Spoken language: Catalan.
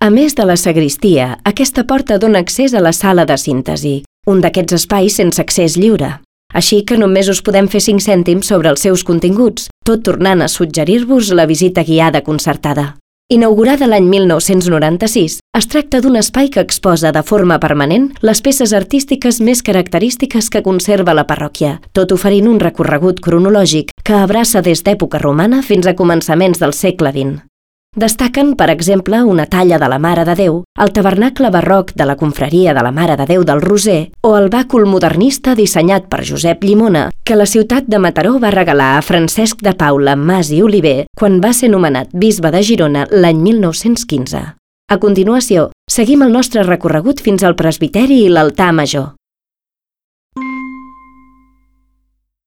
A més de la sagristia, aquesta porta dona accés a la sala de síntesi, un d'aquests espais sense accés lliure. Així que només us podem fer 5 cèntims sobre els seus continguts, tot tornant a suggerir-vos la visita guiada concertada. Inaugurada l'any 1996, es tracta d'un espai que exposa de forma permanent les peces artístiques més característiques que conserva la parròquia, tot oferint un recorregut cronològic que abraça des d'època romana fins a començaments del segle XX. Destaquen, per exemple, una talla de la Mare de Déu, el tabernacle barroc de la confraria de la Mare de Déu del Roser o el bàcul modernista dissenyat per Josep Llimona, que la ciutat de Mataró va regalar a Francesc de Paula Mas i Oliver quan va ser nomenat bisbe de Girona l'any 1915. A continuació, seguim el nostre recorregut fins al presbiteri i l'altar major.